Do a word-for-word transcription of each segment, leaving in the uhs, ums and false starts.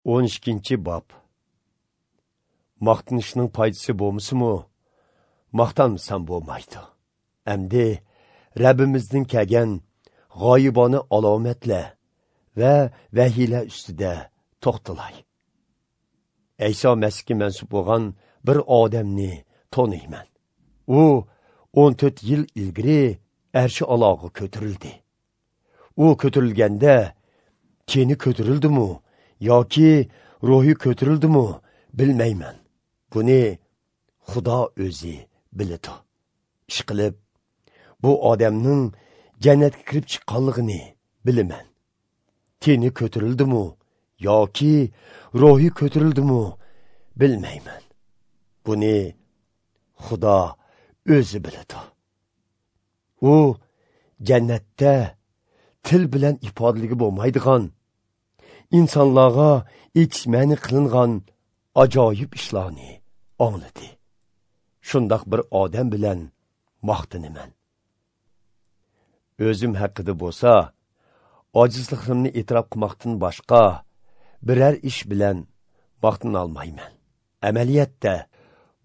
o'n ikkinchi bob. Maqtanishning foydasi bo'lmasa-mu, maqtanmasam bo'lmaydi. Endi Rabbimizning kelgan g'oyibona alomatlar va vahiylar ustida to'xtalay. Ayso Masihga mansub bo'lgan bir odamni taniyman. U o'n to'rt yil ilgari arshi aloga ko'tarildi. U ko'tarilganda teni ko'tarildimi yoki ruhi ko'tarildimi bilmayman. Buni Xudo o'zi biladi. Ishqilib bu odamning jannatga kirib chiqqanligini bilaman. Teni ko'tarildimi yoki ruhi ko'tarildimi bilmayman. Buni Xudo o'zi biladi. U jannatda til bilan ifodaligi bo'lmaydigan, insonlarga aytish ma'ni qilingan ajoyib ishlarni angladi. Shundoq bir odam bilan maqtanaman. O'zim haqida bo'lsa, ojizligimni e'tirof qilmoqdan boshqa biror ish bilan maqtana olmayman. Amaliyotda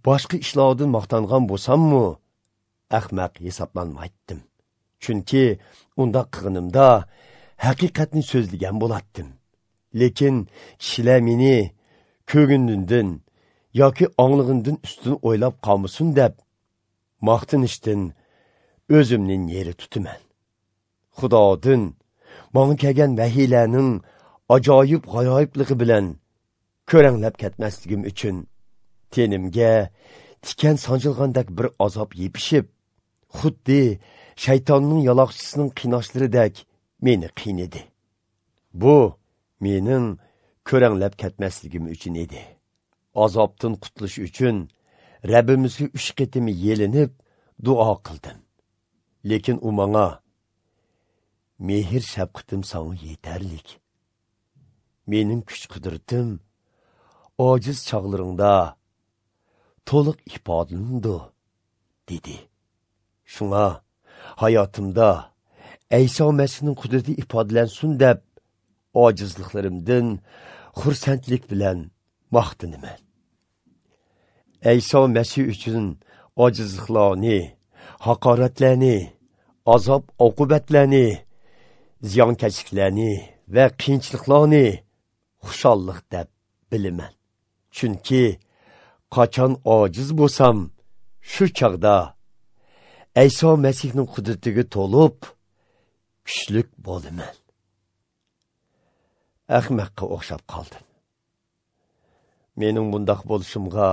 boshqa ishlardan maqtangan bo'lsammi, ahmaq hisoblanmaydim. Chunki undaq qilganimda haqiqatni so'zlagan bo'lardim. Lekin kishilar meni ko'nglimdan yoki anglig'imdan ustun o'ylab qolmasin deb maqtanishdan o'zimning yeri tutaman. Xudodan menga kelgan vahiylarning ajoyib g'ayoyibligi bilan ko'ranglab ketmasligim uchun tenimga tikan sanchilgandek bir azob yepishib, xuddi shaytonning yaloqchisining qiynashlaridek meni qiynadi. Bu mening ko'ranglab ketmasligim uchun edi. Azobdan qutulish uchun Rabbimizga uch qatim yelinib duo qildim. Lekin u menga: "Mehr shafqatim sana yetarlik. Mening kuch-qudratim ojiz chog'laringda to'liq ifodalanadi" dedi. Shunga hayotimda Ayso Masihning qudrati ifodalansin deb ojizliklarimdan xursandlik bilan maqtanaman. Ayso Masih uchun ojizliklarni, haqoratlarni, azob oqibatlarni, ziyonkashliklarni va qiyinchiliklarni xushallik deb bilaman. Chunki qachon ojiz bo'lsam, shu chog'da Ayso Masihning qudratiga to'lib kuchlik bo'laman. Ahmoqqa o'xshab qoldim. Mening bundaq bo'lishimga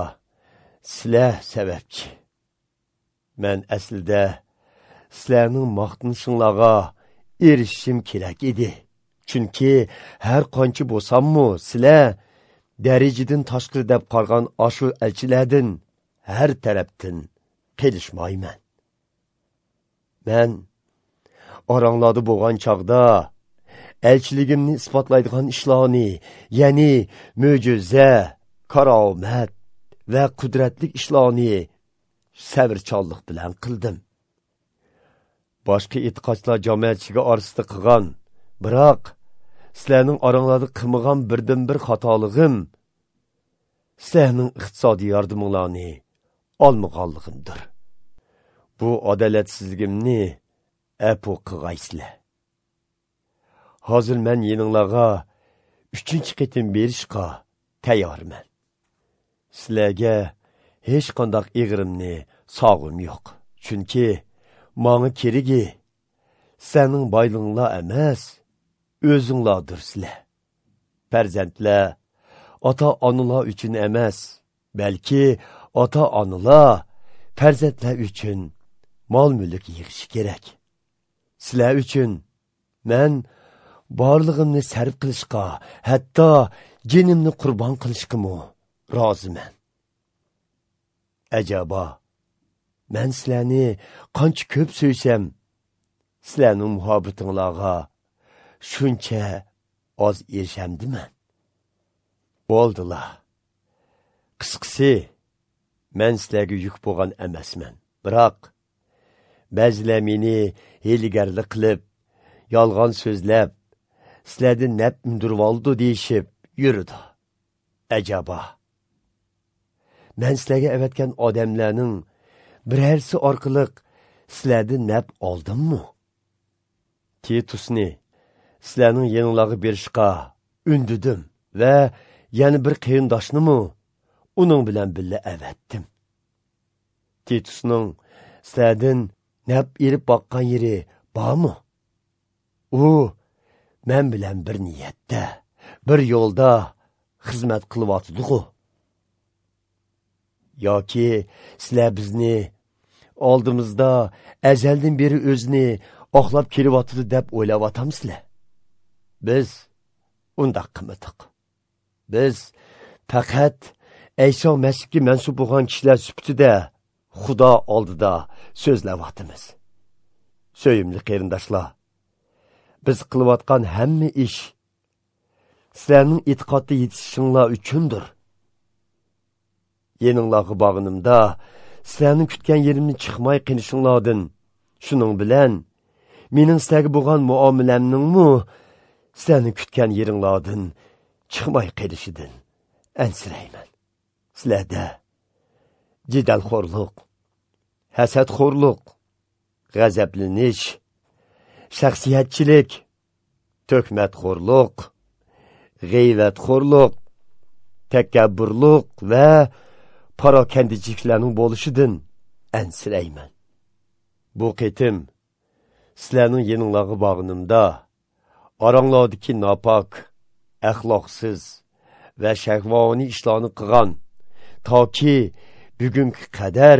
sizlar sababchi. Men aslida sizlarning maqtanishinglarga erishishim kerak edi. Chunki har qancha bo'lsammi, sizlar darajadan tashqari deb qargan ashu elchilardan har tarafdan qelishmayman. Men oranglarda bo'lgan chog'da elchiligimni isbotlaydigan ishlarni, ya'ni mo'jiza, karomat va qudratli ishlarni sabrchanlik bilan qildim. Boshqa e'tiqodchilar jamoatchiligi orasida qilgan, biroq sizlarning oranglarda qilmagan birdan bir xatoligim sizlarning iqtisodiy yordaminglarni olmaganligimdir. Bu adolatsizligimni afu qilgaysizlar. Hozir men yeninglarga uchinchi qitim berishga tayyorman. Sizlarga hech qanday eg'rimni sog'im yo'q. Chunki menga keragi sizlarning boylig'inglar emas, o'zinglardirsizlar. Farzandlar ota-onalar uchun emas, balki ota-onalar farzandlar uchun mol-mulk yig'ishi kerak. Sizlar uchun men borlig'imni sarf qilishga, hatto jinimni qurbon qilishga roziman. Ajabo, men sizlarni qancha ko'p so'ysam, sizlarning muhabbatinglarga shuncha oz erishamdiman. Bo'ldilar. Qisqasi, men sizlarga yuk bo'lgan emasman. Biroq ba'zilar meni hiylagarlik qilib, yolg'on so'zlab, sizlardan naf undirib oldi deyishib yurdi. Ajaba, men sizlarga avatgan odamlarning birarsi orqali sizlardan naf oldimmi? Titusni sizlarning yeninglarga berishga undidim va yana bir qarindoshnimi uning bilan birga avatdim. Titusning sizlardan naf erib boqqan yeri bormi? U men bilan bir niyatda, bir yo'lda xizmat qilyotidi-ku. Yoki sizlar bizni oldimizda azaldan beri o'zini oqlab kelyotidi deb o'ylayotamsizlar? Biz undaq qilmadik. Biz faqat Ayso Masihga mansub bo'lgan kishilar sifatida Xudo oldida so'zlayotimiz. So'yimli qarindoshlar, biz qilayotgan hamma ish sizlarning e'tiqodda yetishishinglar uchundir. Yeninglarga bog'inimda sizlarning kutgan yerimni chiqmay qilishinglardan, shuning bilan mening sizlarga bo'lgan muomalamningmi sizlarning kutgan yeringlardan chiqmay qilishidan ansirayman. Sizlarda jidalxo'rlik, hasadxo'rlik, g'azablanish, shaxsiyatchilik, tuhmatxo'rlik, g'iybatxo'rlik, takabburlik va parokandichiliklarning bo'lishidan ansirayman. Bu qitim sizlarning yeninglarga bog'inimda oranglardagi nopok, axloqsiz va shahvoniy ishlarni qilgan, toki bugungi qadar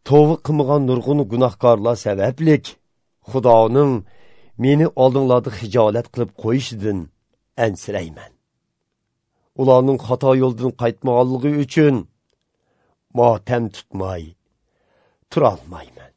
tavba qilmagan nurg'un gunohkorlar sabablik Xudoning meni oldinglarda xijolat qilib qo'yishidan ansirayman. Ularning xato yo'ldan qaytmaganligi uchun motam tutmay turolmayman.